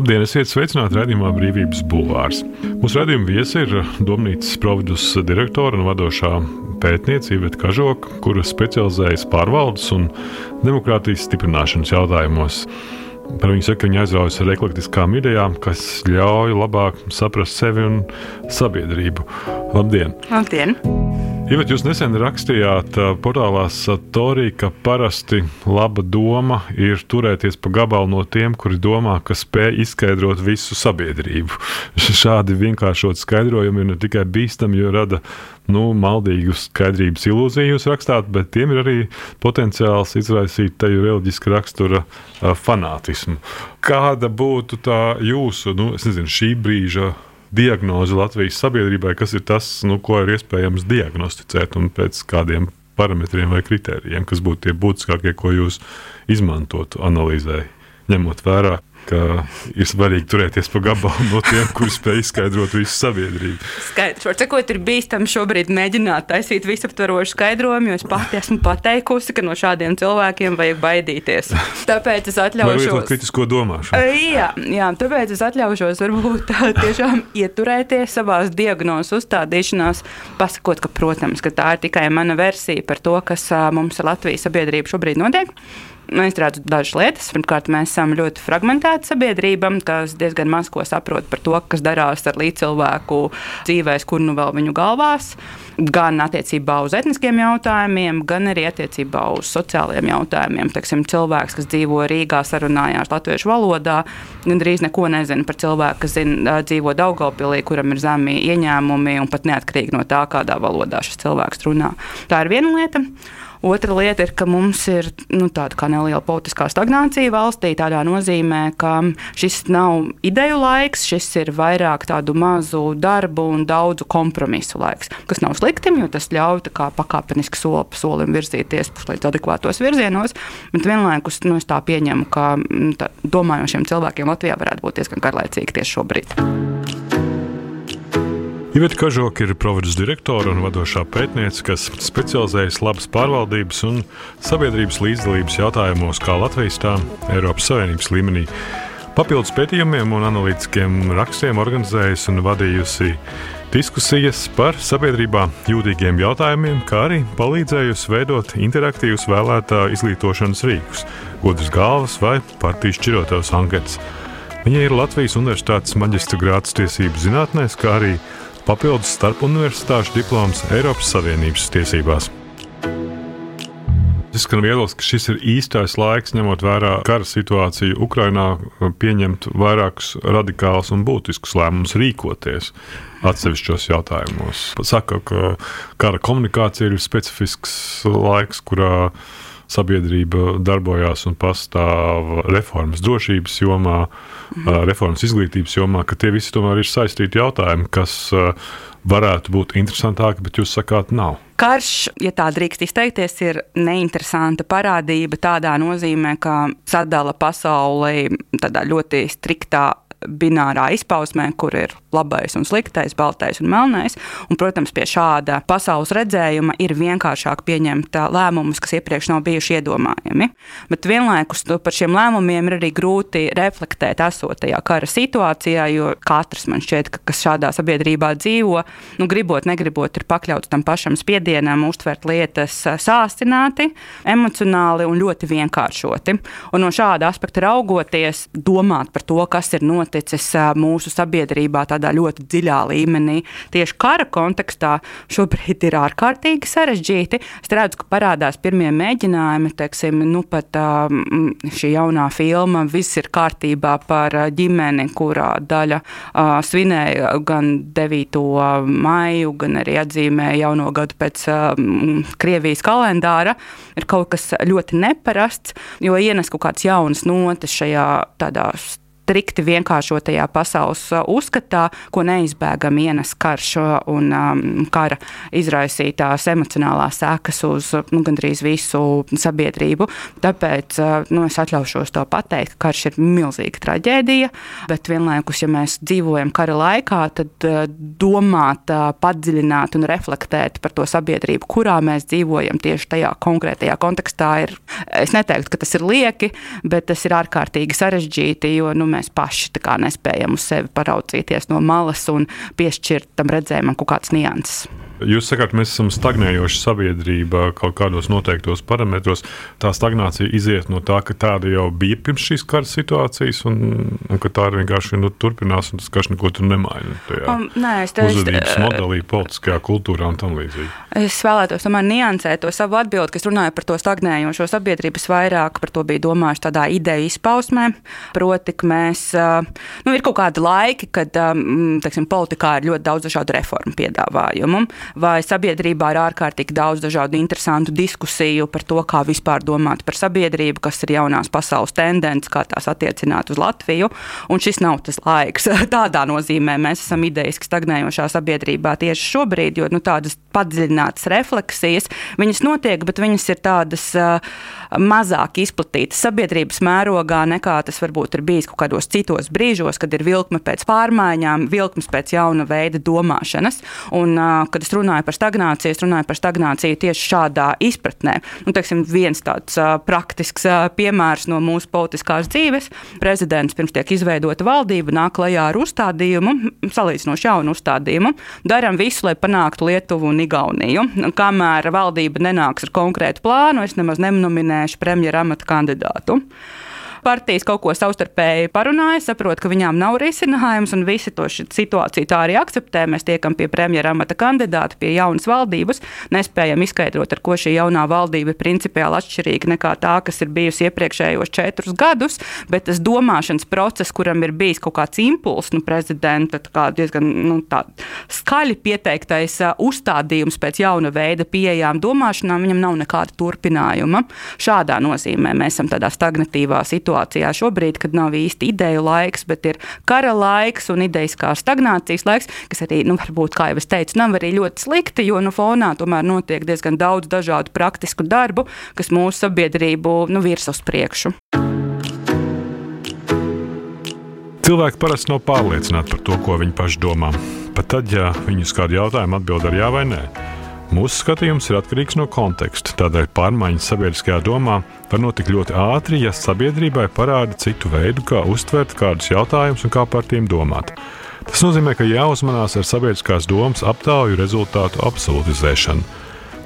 Labdien, esiet sveicināti raidījumā Brīvības bulvārs. Mūsu raidījuma viesi ir Domnīcas Providus direktora un vadošā pētniece Iveta Kažoka, kura specializējas pārvaldes un demokrātijas stiprināšanas jautājumos. Par viņu saka, viņa aizraujas ar eklektiskām idejām, kas ļauj labāk saprast sevi un sabiedrību. Labdien! Labdien! Ivet, jūs nesen rakstījāt portālā Satori, ka parasti laba doma ir turēties pa gabalu no tiem, kuri domā, ka spēj izskaidrot visu sabiedrību. Šādi vienkāršot skaidrojumi ir ne tikai bīstami, jo rada maldīgu skaidrības ilūziju jūs rakstāt, bet tiem ir arī potenciāls izraisīt teju reliģiska rakstura fanātismu. Kāda būtu tā jūsu, šī brīža diagnoze Latvijas sabiedrībai, kas ir tas, ko ir iespējams diagnosticēt un pēc kādiem parametriem vai kritērijiem, kas būtu tie būtiskākie, ko jūs izmantotu analīzē, ņemot vērā, ka ir svarīgi turēties pa gabalu no tiem, kuri spēj izskaidrot visu sabiedrību. Skaidrs. Var sakot, ir bīstami šobrīd mēģināt taisīt visaptvarošu skaidrojumu, jo es pati esmu pateikusi, ka no šādiem cilvēkiem vajag baidīties. Tāpēc es atļaušos... Vai lietot kritisko domāšanu? Jā, tāpēc es atļaušos varbūt tiešām ieturēties savās diagnozes uzstādīšanās, pasakot, ka, protams, ka tā ir tikai mana versija par to, kas mums ar Latvijas sabiedrību šobrīd notiek. Es redzu dažas lietas. Pirmkārt, mēs esam ļoti fragmentēta sabiedrība, kas diezgan maz ko saprot par to, kas darās ar līdzcilvēku dzīvēs, kur nu vēl viņu galvās. Gan attiecībā uz etniskiem jautājumiem, gan arī attiecībā uz sociālajiem jautājumiem. Teiksim, cilvēks, kas dzīvo Rīgā, sarunājās latviešu valodā, gandrīz neko nezina par cilvēku, kas dzīvo Daugavpilī, kuram ir zemi ieņēmumi un pat neatkarīgi no tā, kādā valodā šis cilvēks runā. Tā ir viena lieta. Otra lieta ir, ka mums ir tāda kā neliela politiskā stagnācija valstī, tādā nozīmē, ka šis nav ideju laiks, šis ir vairāk tādu mazu darbu un daudzu kompromisu laiks, kas nav slikti, jo tas ļauj tā kā pakāpeniski soli pa solim virzīties līdz adekvātos virzienos, bet vienlaikus es tā pieņemu, ka domājošiem cilvēkiem Latvijā varētu būt diezgan garlaicīgi tieši šobrīd. Iveta Kažoka ir Providus direktora un vadošā pētniece, kas specializējas labas pārvaldības un sabiedrības līdzdalības jautājumos kā Latvijas, tā Eiropas Savienības līmenī. Papildus pētījumiem un analītiskiem rakstiem organizējusi un vadījusi diskusijas par sabiedrībā jūtīgiem jautājumiem, kā arī palīdzējusi veidot interaktīvus vēlētā izglītošanas rīkus, gudras galvas vai partiju šķirotavas anketas. Viņa ir Latvijas Universitātes maģistra grāds tiesību zinātnēs, kā arī papildus starp universitāšu diploms Eiropas Savienības tiesībās. Izskan viedoklis, ka šis ir īstais laiks, ņemot vērā kara situāciju Ukrainā, pieņemt vairākus radikālus un būtiskus lēmumus rīkoties atsevišķos jautājumos. Saka, ka kara komunikācija ir specifisks laiks, kurā sabiedrība darbojās un pastāv reformas drošības jomā, reformas izglītības jomā, ka tie visi tomēr ir saistīti jautājumi, kas varētu būt interesantāki, bet jūs sakāt, nav. Karš, ja tā drīkst izteikties, ir neinteresanta parādība tādā nozīmē, ka sadala pasauli tādā ļoti striktā binārā izpausmē, kur ir labais un sliktais, baltais un melnais. Un, protams, pie šāda pasaules redzējuma ir vienkāršāk pieņemt lēmumus, kas iepriekš nav bijuši iedomājami. Bet vienlaikus par šiem lēmumiem ir arī grūti reflektēt esotajā kara situācijā, jo katrs man šķiet, kas šādā sabiedrībā dzīvo, gribot, negribot, ir pakļauts tam pašam spiedienam, uztvert lietas sāsināti, emocionāli un ļoti vienkāršoti. Un no šāda aspekta raugoties, domāt par to, kas ir noticis mūsu sabiedrībā tādā ļoti dziļā līmenī. Tieši kara kontekstā šobrīd ir ārkārtīgi sarežģīti. Es redzu, ka parādās pirmie mēģinājumi, teiksim, pat šī jaunā filma Viss ir kārtībā par ģimeni, kurā daļa svinēja gan 9. maiju, gan arī atzīmēja jauno gadu pēc Krievijas kalendāra. Ir kaut kas ļoti neparasts, jo ienes kaut kāds jaunas notis šajā tādā strikti vienkāršotajā pasaules uzskatā, ko neizbēgami ienes karš un kara izraisītās emocionālās sekas uz gandrīz visu sabiedrību. Tāpēc es atļaušos to pateikt, ka karš ir milzīga traģēdija, bet vienlaikus, ja mēs dzīvojam kara laikā, tad domāt, padziļināt un reflektēt par to sabiedrību, kurā mēs dzīvojam tieši tajā konkrētajā kontekstā ir, es neteiktu, ka tas ir lieki, bet tas ir ārkārtīgi sarežģīti, jo mēs paši tā kā nespējam uz sevi paraudzīties no malas un piešķirt tam redzējumam kaut kāds nianses. Jūs sakāt, mēs esam stagnējoša sabiedrība kaut kādos noteiktos parametros. Tā stagnācija iziet no tā, ka tāda jau bija pirms šīs kara situācijas un ka tā vienkārši turpinās un tas karš neko tur nemaina. Uzvedības modelī, politiskajā kultūrā un tam līdzīgi. Es vēlētos tomēr niansēt to savu atbildi, kas runāja par to stagnējošo sabiedrības vairāk, par to bija domājuši tādā ideju izpausmē. Proti, ka mēs, ir kaut kādi laiki, kad, teiksim, politikā ir ļoti daudz dažādu reformu piedāvājumu. Vai sabiedrībā ir ārkārtīgi daudz dažādu interesantu diskusiju par to, kā vispār domāt par sabiedrību, kas ir jaunās pasaules tendence, kā tās attiecināt uz Latviju. Un šis nav tas laiks. Tādā nozīmē mēs esam ideiski stagnējošā sabiedrībā tieši šobrīd, jo tādas padziļinātas refleksijas, viņas notiek, bet viņas ir tādas mazāk izplatītas sabiedrības mērogā, nekā tas varbūt ir bijis kaut kādos citos brīžos, kad ir vilkme pēc pārmaiņām, vilkmes pēc jauna veida domāšanas. Un, kad es runāju par stagnāciju tieši šādā izpratnē. Teiksim, viens tāds praktisks piemērs no mūsu politiskās dzīves. Prezidents pirms tiek izveidota valdība, nāk klajā ar uzstādījumu, salīdzinoši jaunu uzstādījumu. Daram visu, lai panāktu Lietuvu un Igauniju. Kamēr valdība nenāks ar konkrētu plānu, es nemaz nenominēšu premjera amata kandidātu. Partijas kaut ko savstarpēji parunāja, saprot, ka viņām nav risinājums, un visi to situāciju tā arī akceptē. Mēs tiekam pie premjera amata kandidāta, pie jaunas valdības, nespējam izskaidrot, ar ko šī jaunā valdība ir principiāli atšķirīga nekā tā, kas ir bijusi iepriekšējos 4 gadus, bet tas domāšanas process, kuram ir bijis kaut kāds impulss, prezidenta diezgan skaļi pieteiktais uzstādījums pēc jauna veida pieejām domāšanām, viņam nav nekāda turpinājuma. Šādā nozīmē mēs esam tādā stagnatīvā situācijā šobrīd, kad nav īsti ideju laiks, bet ir kara laiks un ideiskā stagnācijas laiks, kas arī, varbūt, kā jau es teicu, nav arī ļoti slikti, jo fonā tomēr notiek diezgan daudz dažādu praktisku darbu, kas mūsu sabiedrību virza uz priekšu. Cilvēki parasti nav pārliecināti par to, ko viņi paši domā. Pat tad, ja viņi uz kādu jautājumu atbild ar jā vai nē. Mūsu skatījums ir atkarīgs no konteksta, tādēļ pārmaiņas sabiedriskajā domā var notikt ļoti ātri, ja sabiedrībai parāda citu veidu, kā uztvert kādus jautājumus un kā par tiem domāt. Tas nozīmē, ka jāuzmanās ar sabiedriskās domas aptauju rezultātu absolutizēšanu.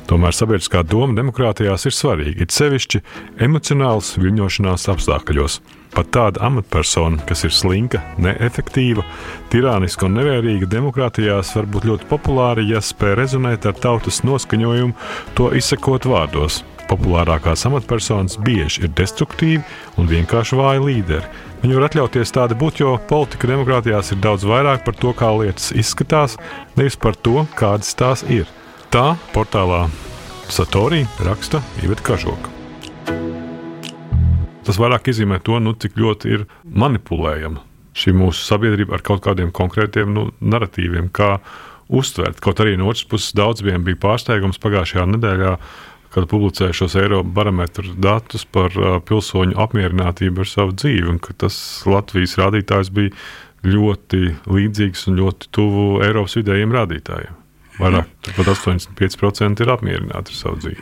Tomēr sabiedriskā doma demokrātijās ir svarīga, it sevišķi emocionāls viļņošanās apstākļos. Pat tāda amatpersona, kas ir slinka, neefektīva, tirāniska un nevērīga demokrātijās var būt ļoti populāra, ja spēj rezonēt ar tautas noskaņojumu, to izsakot vārdos. Populārākās amatpersonas bieži ir destruktīvi un vienkārši vāji līderi. Viņi var atļauties tādi būt, jo politika demokrātijās ir daudz vairāk par to, kā lietas izskatās, nevis par to, kādas tās ir. Tā portālā Satori raksta Iveta Kažoka. Tas vairāk izzīmē to, cik ļoti ir manipulējama šī mūsu sabiedrība ar kaut kādiem konkrētiem naratīviem, kā uztvert. Kaut arī no otras puses daudziem bija pārsteigums pagājušajā nedēļā, kad publicēja šos Eirobarometru datus par pilsoņu apmierinātību ar savu dzīvi, un ka tas Latvijas rādītājs bija ļoti līdzīgs un ļoti tuvu Eiropas vidējiem rādītājiem. Vairāk, pat 85% ir apmierināti ar savu dzīvi.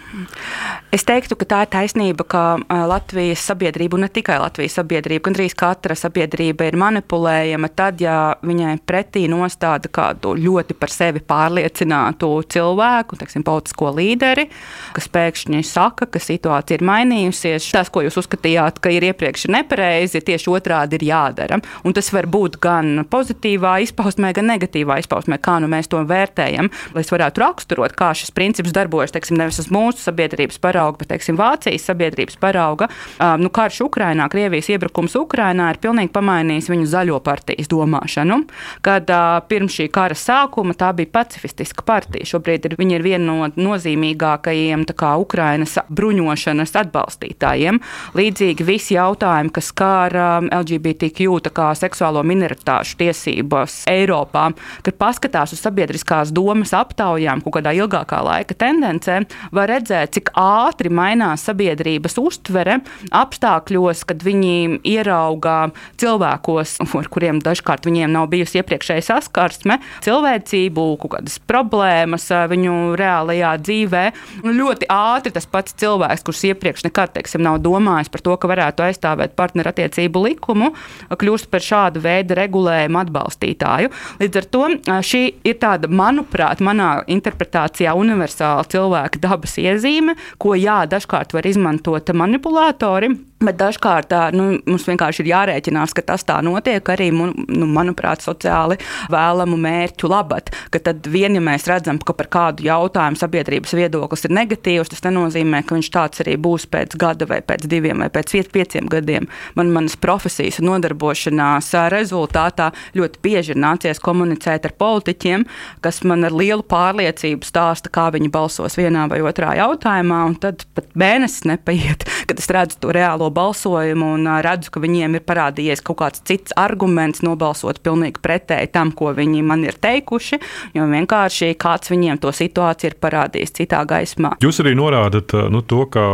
Es teiktu, ka tā ir taisnība, ka Latvijas sabiedrība, un ne tikai Latvijas sabiedrība, gandrīz katra sabiedrība ir manipulējama tad, ja viņai pretī nostāda kādu ļoti par sevi pārliecinātu cilvēku, teiksim, politisko līderi, kas pēkšņi saka, ka situācija ir mainījusies. Tas, ko jūs uzskatījāt, ka ir iepriekš nepareizi, tieši otrādi ir jādara. Un tas var būt gan pozitīvā izpausmē, gan negatīvā izpausmē, kā mēs to vērtējam. Lai es varētu raksturot, kā šis princips darbojas, teiksim, nevis uz mūsu sabiedrības parauga, bet, teiksim, Vācijas sabiedrības parauga. Karš Ukrainā, Krievijas iebrukums Ukrainā ir pilnīgi pamainījis viņu zaļo partijas domāšanu, kad pirms šī kara sākuma tā bija pacifistiska partija. Šobrīd viņa ir viena no nozīmīgākajiem Ukrainas bruņošanas atbalstītājiem. Līdzīgi visi jautājumi, kas skar LGBTQ, seksuālo minoritāšu tiesības Eiropā, kad paskatās uz sabiedriskās domas aptaujām, kaut kādā ilgākā laika tendencē, var redzēt, cik ātri mainās sabiedrības uztvere apstākļos, kad viņi ierauga cilvēkos, ar kuriem dažkārt viņiem nav bijusi iepriekšēja saskarsme, cilvēcību, kaut kādas problēmas viņu reālajā dzīvē. Ļoti ātri tas pats cilvēks, kurš iepriekš nekad, nav domājis par to, ka varētu aizstāvēt partnerattiecību likumu, kļūst par šādu veidu regulējumu atbalstītāju. Līdz ar to šī ir tāda, manuprāt, manā interpretācijā universāla cilvēka dabas iezīme, ko dažkārt var izmantot manipulātori. Bet dažkārt mums vienkārši ir jārēķinās, ka tas tā notiek arī, manuprāt, sociāli vēlamu mērķu labad. Ka tad ja mēs redzam, ka par kādu jautājumu sabiedrības viedoklis ir negatīvs, tas nenozīmē, ka viņš tāds arī būs pēc gada vai pēc 2 vai pēc 5 gadiem. Manas profesijas un nodarbošanās rezultātā ļoti bieži ir nācies komunicēt ar politiķiem, kas man ar lielu pārliecību stāsta, kā viņi balsos vienā vai otrā jautājumā, un tad pat mēnesis nepaiet, kad es redzu to reālo balsojumu un redzu, ka viņiem ir parādījies kaut kāds cits arguments nobalsot pilnīgi pretēji tam, ko viņi man ir teikuši, jo vienkārši kāds viņiem to situāciju ir parādījis citā gaismā. Jūs arī norādat to, ka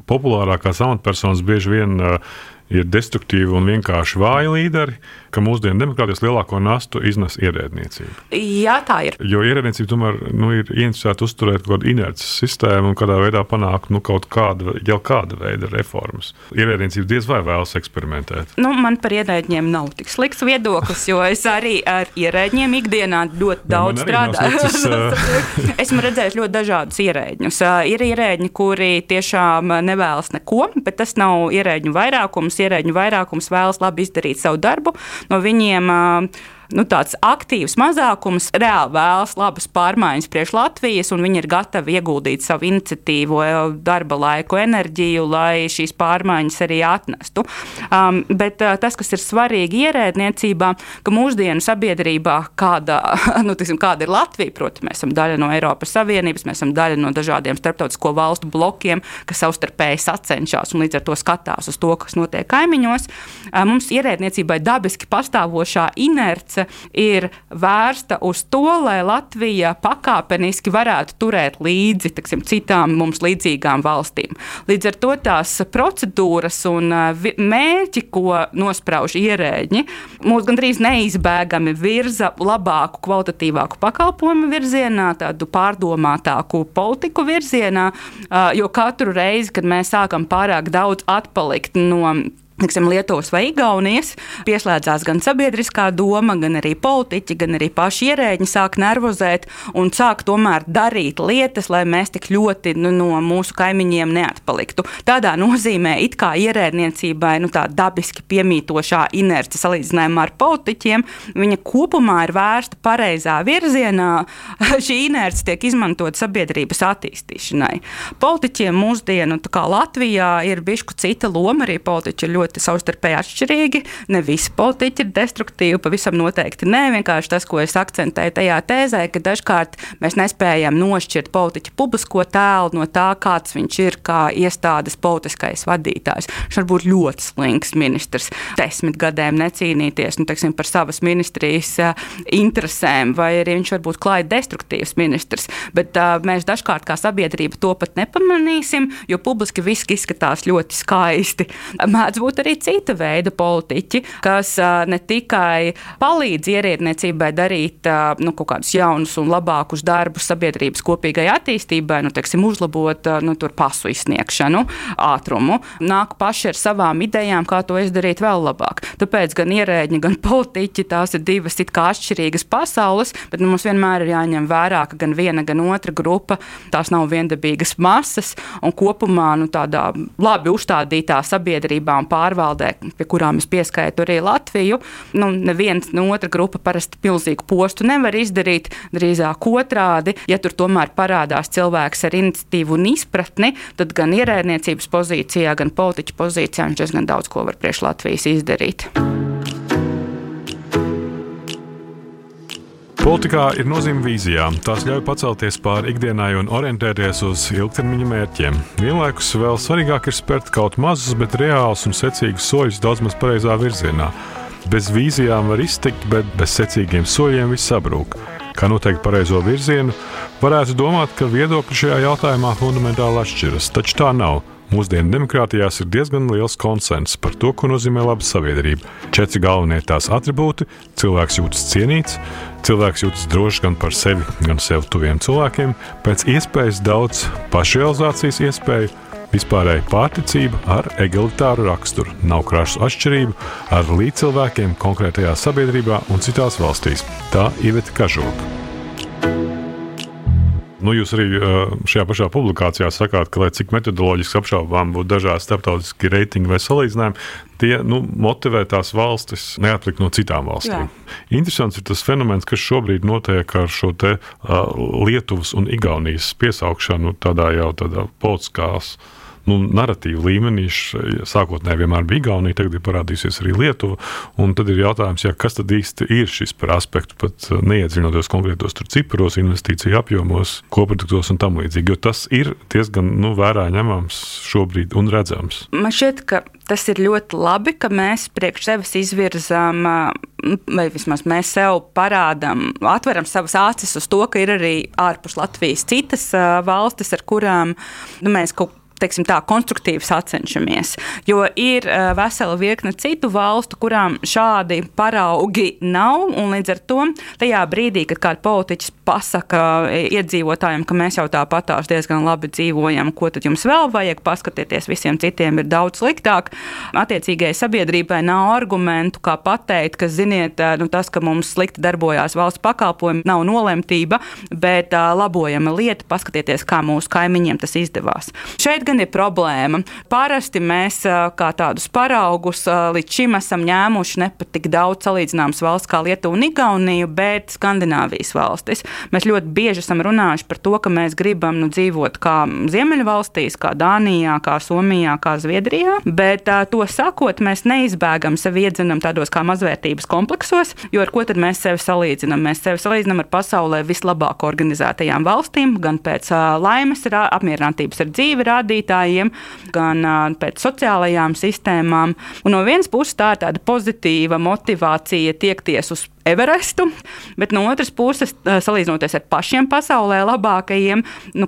populārākās amatpersonas bieži vien ir destruktīvi un vienkārši vāji līderi, ka mūsdienu demokrātijas lielāko nastu iznes ierēdniecība. Jā, tā ir. Jo ierēdniecība tomēr ir ieinteresēta uzturēt kaut kādu inerces sistēmu un kādā veidā panākt kaut kāda veida reformas. Ierēdniecība diez vai vēlas eksperimentēt. Man par ierēdņiem nav tik slikts viedoklis, jo es arī ar ierēdņiem ikdienā ļoti daudz strādāju. Esmu redzējis ļoti dažādus ierēdņus. Ir ierēdņi, kuri tiešām nevēlas neko, bet tas nav ierēdņu vairākums. Ierēdņu vairākums vēlas labi izdarīt savu darbu. No viņiem tāds aktīvs mazākums reāli vēlas labas pārmaiņas priekš Latvijas, un viņi ir gatavi ieguldīt savu iniciatīvu, darba laiku, enerģiju, lai šīs pārmaiņas arī atnestu. Bet tas, kas ir svarīgi ierēdniecībā, ka mūsdienu sabiedrībā, kāda ir Latvija, proti, mēs esam daļa no Eiropas Savienības, mēs esam daļa no dažādiem starptautisko valstu blokiem, kas savstarpēji sacenšas un līdz ar to skatās uz to, kas notiek kaimiņos. Mums ierēdniecībai dabiski pastāvošā inerce ir vērsta uz to, lai Latvija pakāpeniski varētu turēt līdzi citām mums līdzīgām valstīm. Līdz ar to tās procedūras un mērķi, ko nosprauž ierēģi, mūs gandrīz neizbēgami virza labāku, kvalitatīvāku pakalpojumu virzienā, tādu pārdomātāku politiku virzienā, jo katru reizi, kad mēs sākam pārāk daudz atpalikt no Lietuvas vai Igaunijas, pieslēdzās gan sabiedriskā doma, gan arī politiķi, gan arī paši ierēģi sāk nervozēt un sāk tomēr darīt lietas, lai mēs tik ļoti no mūsu kaimiņiem neatpaliktu. Tādā nozīmē it kā ierēdniecībai tā dabiski piemītošā inerce salīdzinājumā ar politiķiem, viņa kopumā ir vērsta pareizā virzienā. Šī inerce tiek izmantot sabiedrības attīstīšanai. Politiķiem mūsdienu, kā Latvijā, ir bišķi cita loma, arī politiķi ir ļoti savstarpēji atšķirīgi. Ne visi politiķi ir destruktīvi, pavisam noteikti nē. Vienkārši tas, ko es akcentēju tajā tēzē, ka dažkārt mēs nespējam nošķirt politiķu publisko tēlu no tā, kāds viņš ir kā iestādes politiskais vadītājs. Viņš var būt ļoti slinks ministrs, 10 gadiem necīnīties par savas ministrijas interesēm, vai arī viņš var būt klāji destruktīvs ministrs. Bet mēs dažkārt kā sabiedrība to pat nepamanīsim, jo publiski viss izskatās ļoti skaisti. Mēdz būt arī cita veida politiķi, kas ne tikai palīdz ierēdniecībai darīt kaut kādus jaunus un labākus darbus sabiedrības kopīgai attīstībai, uzlabot pasu izsniegšanu, ātrumu, nāk paši ar savām idejām, kā to izdarīt vēl labāk. Tāpēc gan ierēģi, gan politiķi, tās ir divas it kā atšķirīgas pasaules, bet mums vienmēr ir jāņem vērā, ka gan viena, gan otra grupa, tās nav viendabīgas masas, un kopumā tādā labi uzstādītā sabiedrībā un pārvaldē, pie kurām es pieskaitu arī Latviju, neviens no otra grupa parasti milzīgu postu nevar izdarīt, drīzāk otrādi. Ja tur tomēr parādās cilvēks ar iniciatīvu un izpratni, tad gan ierēdniecības pozīcijā, gan politiķu pozīcijā viņš diezgan daudz ko var priekš Latvijas izdarīt. Politikā ir nozīme vīzijām. Tās ļauj pacelties pāri ikdienai un orientēties uz ilgtermiņa mērķiem. Vienlaikus vēl svarīgāk ir spērt kaut mazus, bet reālus un secīgus soļus daudz maz pareizā virzienā. Bez vīzijām var iztikt, bet bez secīgiem soļiem viss sabrūk. kā noteikt pareizo virzienu, varētu domāt, ka viedokļi šajā jautājumā fundamentāli atšķiras, taču tā nav. Mūsdienu demokrātijās ir diezgan liels konsenss par to, ko nozīmē laba sabiedrība. 4 galvenie tās atribūti – cilvēks jūtas cienīts, cilvēks jūtas drošs gan par sevi, gan sev tuviem cilvēkiem, pēc iespējas daudz pašrealizācijas iespēju, vispārēja pārticība ar egalitāru raksturu, nav krašu atšķirību ar līdzcilvēkiem konkrētajā sabiedrībā un citās valstīs. Tā Iveta Kažoka. Jūs arī šajā pašā publikācijā sakāt, ka, lai cik metodoloģiski apšaubām būtu dažādi starptautiski reitingi vai salīdzinājumi, tie motivē tās valstis neatlikt no citām valstīm. Jā. Interesants ir tas fenomens, kas šobrīd notiek ar šo te Lietuvas un Igaunijas piesaukšanu tādā politiskās naratīvu līmenī. Sākotnēji vienmēr bija Igaunija, tagad ir parādījusies arī Lietuva, un tad ir jautājums, kas tad īsti ir šis par aspektu, pat neiedziļinoties konkrētos ciparos, investīciju apjomos, koproduktos un tam līdzīgi, jo tas ir diezgan vērā ņemams šobrīd un redzams. Man šķiet, ka tas ir ļoti labi, ka mēs priekš sevis izvirzām, vai vismaz mēs sev parādām, atveram savas acis uz to, ka ir arī ārpus Latvijas citas valstis, ar kurām mēs konstruktīvi sacenšamies. Jo ir vesela virkne citu valstu, kurām šādi paraugi nav, un līdz ar to tajā brīdī, kad kāds politiķis pasaka iedzīvotājiem, ka mēs jau tāpatās diezgan labi dzīvojam, ko tad jums vēl vajag, paskatieties, visiem citiem ir daudz sliktāk. Attiecīgajai sabiedrībai nav argumentu, kā pateikt, ka, ziniet, tas, ka mums slikti darbojās valsts pakalpojumi, nav nolemtība, bet labojama lieta, paskatieties, kā mūsu kaimiņiem tas izdevās. Šeit gan ir problēma. Parasti mēs kā tādus paraugus līdz šim esam ņēmuši ne pat tik daudz salīdzināmas valsts kā Lietuva un Igaunija, bet Skandināvijas valstis. Mēs ļoti bieži esam runājuši par to, ka mēs gribam dzīvot kā Ziemeļvalstīs, kā Dānijā, kā Somijā, kā Zviedrijā, bet to sakot, mēs neizbēgam sevi iedzenam tādos kā mazvērtības kompleksos, jo ar ko tad mēs sevi salīdzinam? Mēs sevi salīdzinam ar pasaulē vislabāk organizētajām valstīm, gan pēc laimes, apmierinātības ar dzīvi rādītājiem, gan pēc sociālajām sistēmām. Un no vienas puses tā ir tāda pozitīva motivācija tiekties uz Everestu, bet no otras puses, salīdzinoties ar pašiem pasaulē labākajiem,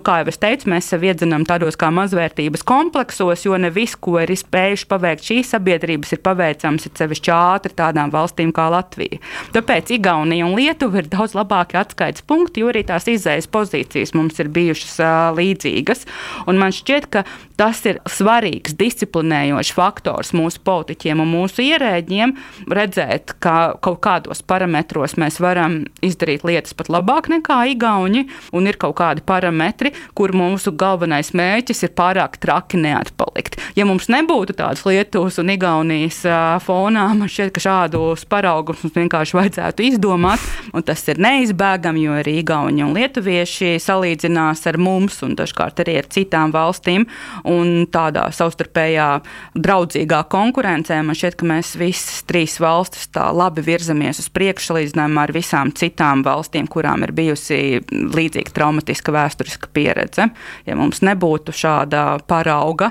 kā jau es teicu, mēs sev iedzenam tādos kā mazvērtības kompleksos, jo ne viss, ko ir spējuši paveikt šīs sabiedrības, ir paveicams sevišķi ātri tādām valstīm kā Latvija. Tāpēc Igaunija un Lietuva ir daudz labāki atskaites punkti, jo arī tās izējas pozīcijas mums ir bijušas līdzīgas. Un man šķiet, ka tas ir svarīgs disciplinējošs faktors mūsu politiķiem un mūsu ierēģiem redzēt, ka kaut kādos parametros mēs varam izdarīt lietas pat labāk nekā Igauņi, un ir kaut kādi parametri, kur mūsu galvenais mērķis ir pārāk traki neatpalikt. Ja mums nebūtu tādas Lietuvas un Igaunijas fonā, man šķiet, ka šādus paraugus mums vienkārši vajadzētu izdomāt, un tas ir neizbēgami, jo arī Igauņi un lietuvieši salīdzinās ar mums un dažkārt arī ar citām valstīm, un tādā savstarpējā draudzīgā konkurencē man šķiet, ka mēs visas 3 valstis tā labi virzamies uz priekšu salīdzinājumā ar visām citām valstīm, kurām ir bijusi līdzīga traumatiska vēsturiska pieredze. Ja mums nebūtu šāda parauga,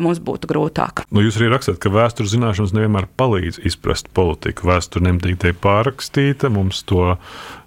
mums būtu grūtāk. Jūs arī rakstāt, ka vēstures zināšanas nevienmēr palīdz izprast politiku. Vēsture nemitīgi pārrakstīta, mums to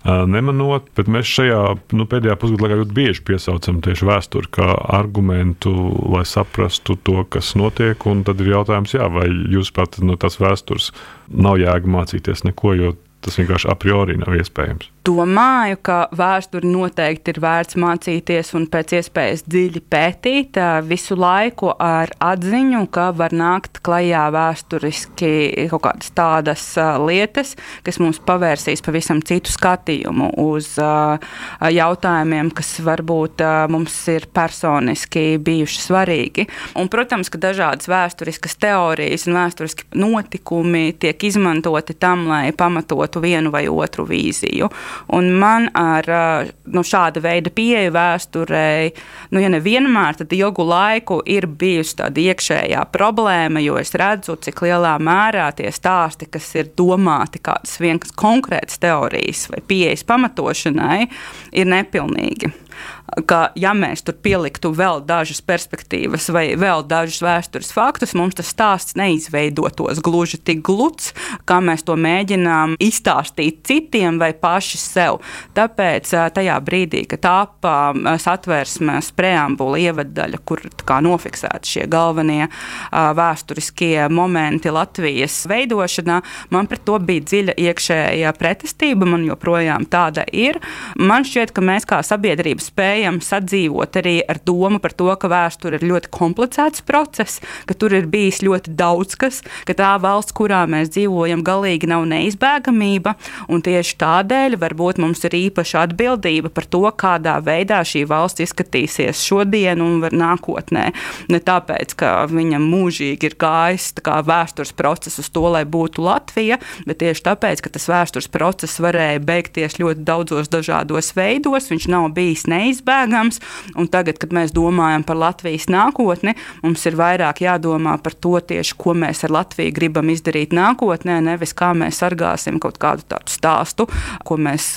nemanot, bet mēs šajā pēdējā pusgadā laikā ļoti bieži piesaucam tieši vēsturi kā argumentu, lai saprastu to, kas notiek, un tad ir jautājums, vai jūs pat no tās vēstures nav jēga mācīties neko, jo tas vienkārši a priori nav iespējams. Domāju, ka vēsturi noteikti ir vērts mācīties un pēc iespējas dziļi pētīt visu laiku ar atziņu, ka var nākt klajā vēsturiski kaut kādas tādas lietas, kas mums pavērsīs pavisam citu skatījumu uz jautājumiem, kas varbūt mums ir personiski bijuši svarīgi. Un, protams, ka dažādas vēsturiskas teorijas un vēsturiski notikumi tiek izmantoti tam, lai pamatotu vienu vai otru vīziju. Un man ar šāda veida pieeja vēsturei, ja nevienmēr, tad ilgu laiku ir bijusi tāda iekšējā problēma, jo es redzu, cik lielā mērā tie stāsti, kas ir domāti kādas vienas konkrētas teorijas vai pieejas pamatošanai, ir nepilnīgi. Ka, ja mēs tur pieliktu vēl dažas perspektīvas vai vēl dažus vēstures faktus, mums tas stāsts neizveidotos gluži tik gluds, kā mēs to mēģinām izstāstīt citiem vai paši sev. Tāpēc tajā brīdī, kad tapa satversmes preambula ievaddaļa, kur nofiksēti šie galvenie vēsturiskie momenti Latvijas veidošanā, man pret to bija dziļa iekšējā pretestība, man joprojām tāda ir. Man šķiet, ka mēs kā sabiedrība spējam sadzīvot arī ar domu par to, ka vēsture ir ļoti komplicēts process, ka tur ir bijis ļoti daudz kas, ka tā valsts, kurā mēs dzīvojam, galīgi nav neizbēgamība, un tieši tādēļ varbūt mums ir īpaša atbildība par to, kādā veidā šī valsts izskatīsies šodien un nākotnē. Ne tāpēc, ka viņam mūžīgi ir gājis vēstures process uz to, lai būtu Latvija, bet tieši tāpēc, ka tas vēstures process varēja beigties ļoti daudzos dažādos veidos, viņš nav bijis neizbēgams, un tagad, kad mēs domājam par Latvijas nākotni, mums ir vairāk jādomā par to tieši, ko mēs ar Latviju gribam izdarīt nākotnē, nevis kā mēs sargāsim kaut kādu tādu stāstu, ko mēs,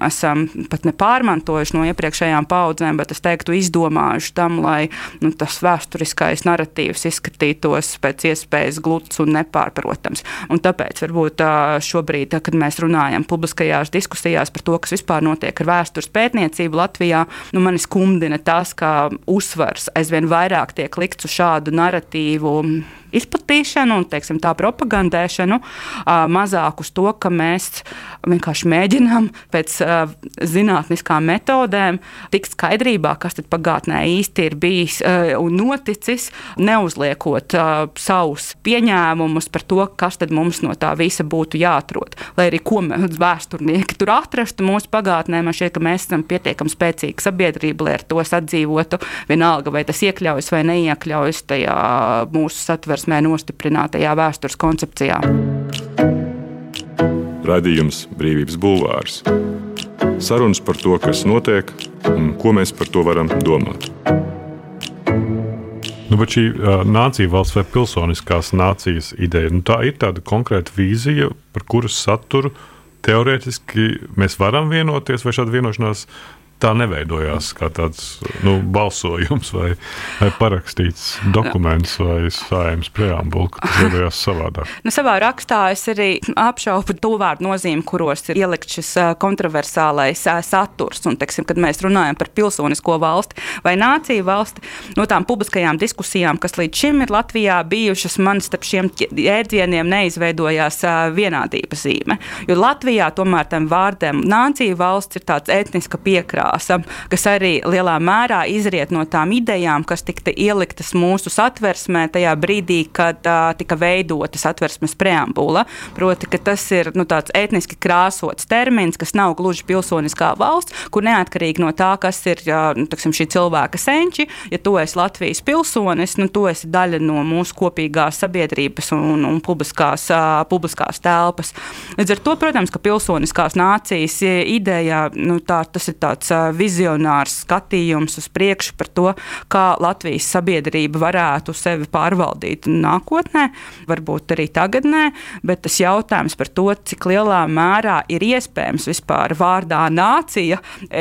esam pat nepārmantojuši no iepriekšējām paudzēm, bet es teiktu izdomājuši tam, lai tas vēsturiskais narratīvs izskatītos pēc iespējas gluds un nepārprotams. Un tāpēc varbūt šobrīd, kad mēs runājam publiskajās diskusijās par to, kas vispār notiek ar vēstures pētniecību Latvijā, mani skumdina tas, ka uzsvars aizvien vairāk tiek likts uz šādu narratīvu izplatīšanu un, tā propagandēšanu, mazāk uz to, ka mēs vienkārši mēģinām pēc zinātniskām metodēm tikt skaidrībā, kas tad pagātnē īsti ir bijis un noticis, neuzliekot savus pieņēmumus par to, kas tad mums no tā visa būtu jāatrod. Lai arī ko mēs vēsturnieki tur atrastu mūsu pagātnē, man šķiet, ka mēs esam pietiekami spēcīga sabiedrība, lai ar to sadzīvotu, vienalga, vai tas iekļaujas vai neiekļaujas tajā mūsu satversmē nostiprinātajā vēstures koncepcijā. Raidījums Brīvības bulvārs. Sarunas par to, kas notiek un ko mēs par to varam domāt. Bet šī nācija valsts vai pilsoniskās nācijas ideja, tā ir tāda konkrēta vīzija, par kuras saturu teorētiski mēs varam vienoties, vai šāda vienošanās tā neveidojās kā tāds balsojums vai parakstīts dokuments vai Saeimas preambula, ka tas veidojās savādāk. Savā rakstā es arī apšaubu to vārdu nozīmi, kuros ir ielikt šis kontroversālais saturs. Un, kad mēs runājam par pilsonisko valsti vai nāciju valsti, no tām publiskajām diskusijām, kas līdz šim ir Latvijā bijušas, man starp šiem jēdzieniem neizveidojās vienādības zīme. Jo Latvijā tomēr tam vārdam nāciju valsts ir tāds etniska piekrāsa, kas arī lielā mērā izriet no tām idejām, kas tika ieliktas mūsu satversmē tajā brīdī, kad tika veidota satversmes preambula. Proti, ka tas ir tāds etniski krāsots termins, kas nav gluži pilsoniskā valsts, kur neatkarīgi no tā, kas ir šī cilvēka senči, ja tu esi Latvijas pilsonis, tu esi daļa no mūsu kopīgās sabiedrības un publiskās telpas. Līdz ar to, protams, ka pilsoniskās nācijas ideja, tas ir tāds vizionārs skatījums uz priekšu par to, kā Latvijas sabiedrība varētu sevi pārvaldīt nākotnē, varbūt arī tagadnē, bet tas jautājums par to, cik lielā mērā ir iespējams vispār vārdā nācija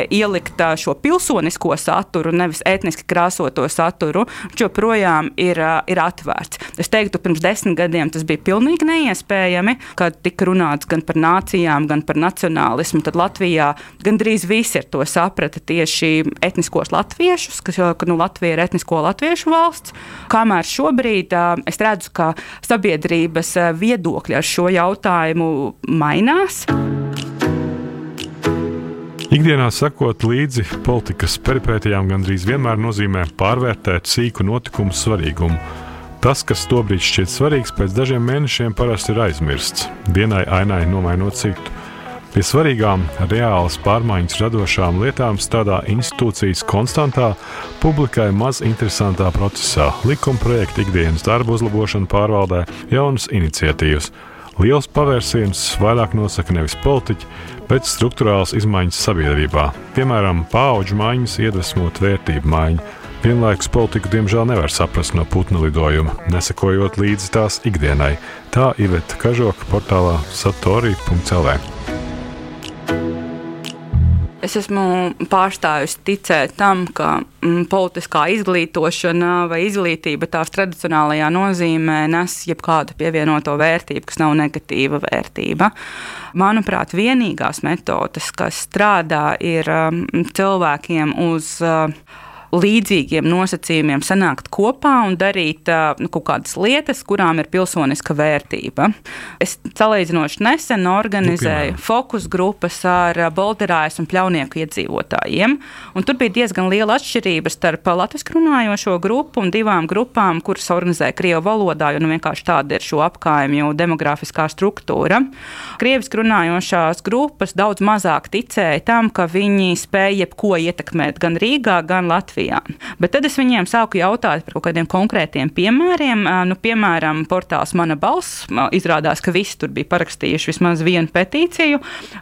ielikt šo pilsonisko saturu, nevis etniski krāsoto saturu, joprojām ir atvērts. Es teiktu, pirms 10 gadiem tas bija pilnīgi neiespējami, kad tika runāts gan par nācijām, gan par nacionālismu, tad Latvijā gandrīz visi ar to saprata tieši etniskos latviešus, ka Latvija ir etnisko latviešu valsts, kamēr šobrīd es redzu, ka sabiedrības viedokļi ar šo jautājumu mainās. Ikdienā sekot līdzi politikas peripētijām gandrīz vienmēr nozīmē pārvērtēt sīku notikumu svarīgumu. Tas, kas tobrīd šķiet svarīgs, pēc dažiem mēnešiem parasti ir aizmirsts, dienai ainai nomainot citu. Pie svarīgām, reālas pārmaiņas radošām lietām strādā institūcijas konstantā, publikai maz interesantā procesā, likuma projekta ikdienas darba uzlabošana pārvaldē, jaunas iniciatīvas. Liels pavērsiens vairāk nosaka nevis politiķi, bet strukturāls izmaiņas sabiedrībā. Piemēram, paudžu maiņas iedvesmot vērtību maiņu. Vienlaikus politiku diemžēl nevar saprast no putnu lidojuma, nesakojot līdzi tās ikdienai. Tā Iveta Kažoka portālā satori.lv. Es esmu pārstājusi ticēt tam, ka politiskā izglītošana vai izglītība tās tradicionālajā nozīmē nes jebkādu pievienoto vērtību, kas nav negatīva vērtība. Manuprāt, vienīgās metodes, kas strādā, ir cilvēkiem uz līdzīgiem nosacījumiem sanākt kopā un darīt kaut kādas lietas, kurām ir pilsoniska vērtība. Es salīdzinoši nesen organizēju fokus grupas ar Bolderājas un Pļaunieku iedzīvotājiem, un tur bija diezgan liela atšķirība starp latviski runājošo grupu un divām grupām, kuras organizēja krievu valodā, jo vienkārši tāda ir šo apkaimju demografiskā struktūra. Krieviski runājošās grupas daudz mazāk ticēja tam, ka viņi spēja jebko ietekmēt gan Rīgā, gan Latvijā. Bet tad es viņiem sāku jautāt par kaut kādiem konkrētiem piemēriem. Piemēram, portāls Mana balss. Izrādās, ka visi tur bija parakstījuši vismaz vienu petīciju.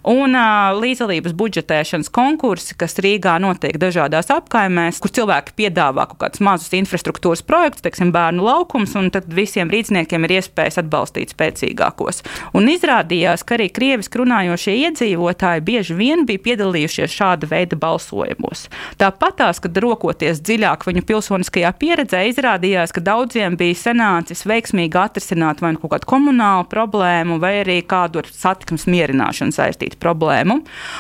Un līdzdalības budžetēšanas konkursi, kas Rīgā notiek dažādās apkaimēs, kur cilvēki piedāvā kaut kādus mazus infrastruktūras projektus, teiksim, bērnu laukums, un tad visiem rīdzniekiem ir iespējas atbalstīt spēcīgākos. Un izrādījās, ka arī krieviski runājošie iedzīvotāji bieži vien bija piedalījušies šāda veida balsojumos. Tāpatās, kad rokoties dziļāk viņu pilsoniskajā pieredzē, izrādījās, ka daudziem bija sanācis veiksmīgi atrisināt vai kaut kādu komunālu problēmu, vai arī kādu ar satiksmes mierināšanu saistītu problēmu.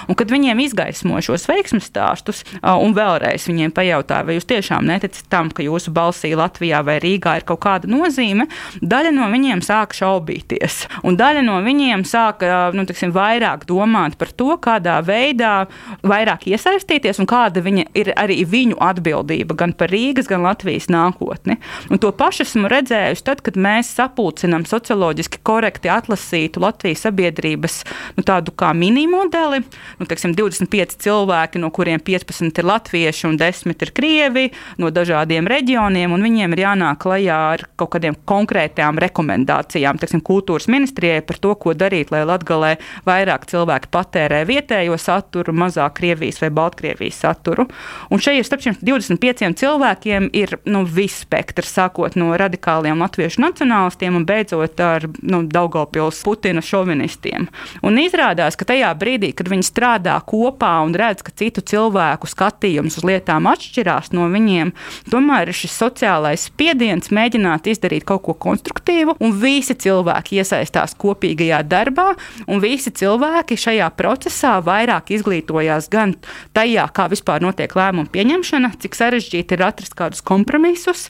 Un kad viņiem izgaismoja šos veiksmes stāstus, un vēlreiz viņiem pajautāja, vai jūs tiešām neticat tam, ka jūsu balsī Latvijā vai Rīgā ir kaut kāda nozīme, daļa no viņiem sāka šaubīties. Un daļa no viņiem sāka, vairāk domāt par to, kādā veidā vairāk iesaistīties un kāda viņa ir arī viņu atbildība gan par Rīgas, gan Latvijas nākotni. Un to pašu esmu redzējusi tad, kad mēs sapulcinām socioloģiski korekti atlasītu Latvijas sabiedrības tādu kā minimodeli. 25 cilvēki, no kuriem 15 ir latvieši un 10 ir krievi, no dažādiem reģioniem, un viņiem ir jānāk klajā ar kaut kādiem konkrētām rekomendācijām, kultūras ministrijai par to, ko darīt, lai Latgalē vairāk cilvēki patērē vietējo saturu, mazāk Krievijas vai Baltkrievijas saturu. Un šeit ir starp šiem 25 cilvēkiem ir viss spektrs, sākot no radikāliem latviešu nacionālistiem un beidzot ar Daugavpils Putina šovinistiem. Un izrādās, ka tajā brīdī, kad viņi strādā kopā un redz, ka citu cilvēku skatījums uz lietām atšķirās no viņiem, tomēr ir šis sociālais spiediens mēģināt izdarīt kaut ko konstruktīvu, un visi cilvēki iesaistās kopīgajā darbā, un visi cilvēki šajā procesā vairāk izglītojās gan tajā, kā vispār notiek lēmumu pieņemšana, cik sarežģīti ir atrast kādus kompromisus.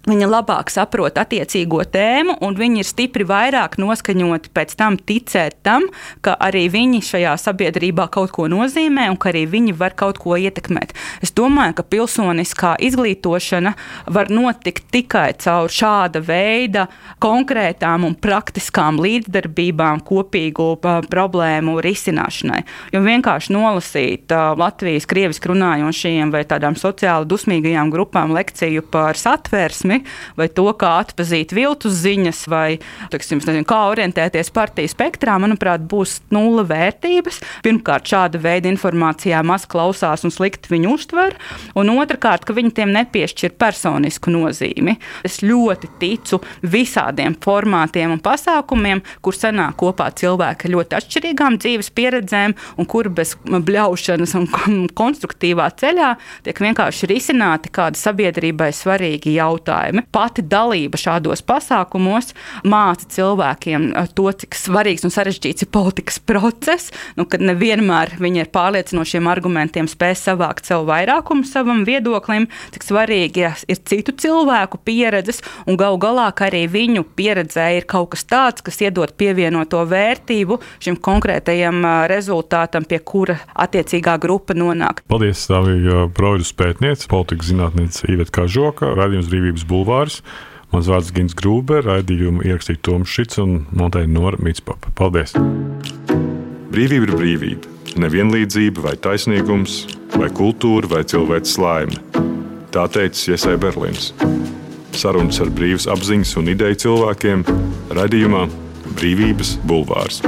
Viņi labāk saprot attiecīgo tēmu, un viņi ir stipri vairāk noskaņoti pēc tam ticēt tam, ka arī viņi šajā sabiedrībā kaut ko nozīmē un ka arī viņi var kaut ko ietekmēt. Es domāju, ka pilsoniskā izglītošana var notikt tikai caur šāda veida konkrētām un praktiskām līdzdarbībām kopīgu problēmu risināšanai. Jo vienkārši nolasīt Latvijas krieviski runājošajiem vai tādām sociāli dusmīgajām grupām lekciju par satversmi, vai to, kā atpazīt viltus ziņas, vai kā orientēties partiju spektrā, manuprāt, būs nulle vērtības. Pirmkārt, šāda veida informācijā maz klausās un slikti viņu uztver, un otrkārt, ka viņi tiem nepiešķir personisku nozīmi. Es ļoti ticu visādiem formātiem un pasākumiem, kur sanāk kopā cilvēki ļoti atšķirīgām dzīves pieredzēm un kur bez bļaušanas un konstruktīvā ceļā tiek vienkārši risināti kādi sabiedrībai svarīgi jautājumi. Pati dalība šādos pasākumos māca cilvēkiem to, cik svarīgs un sarežģīts ir politikas process, kad nevienmēr viņi ar pārliecinošiem argumentiem spēj savākt savu vairākumu savam viedoklim, cik svarīgi ir citu cilvēku pieredzes, un galu galā, ka arī viņu pieredzē ir kaut kas tāds, kas iedod pievienoto vērtību šim konkrētajam rezultātam, pie kura attiecīgā grupa nonāk. Paldies, Stāvija Broidus pētniece, politikas zinātniece Iveta Kažoka, raidījums Brīvības bulvārs. Mans vārds Gins Grūber, raidījumu ierakstīja Toms Šits un montēja Nora Mitspapa. Paldies! Brīvība ir brīvība. Nevienlīdzība vai taisnīgums, vai kultūra vai cilvēks laime. Tā teica Jesai Berlins. Sarunas ar brīvas apziņas un ideju cilvēkiem raidījumā Brīvības bulvārs.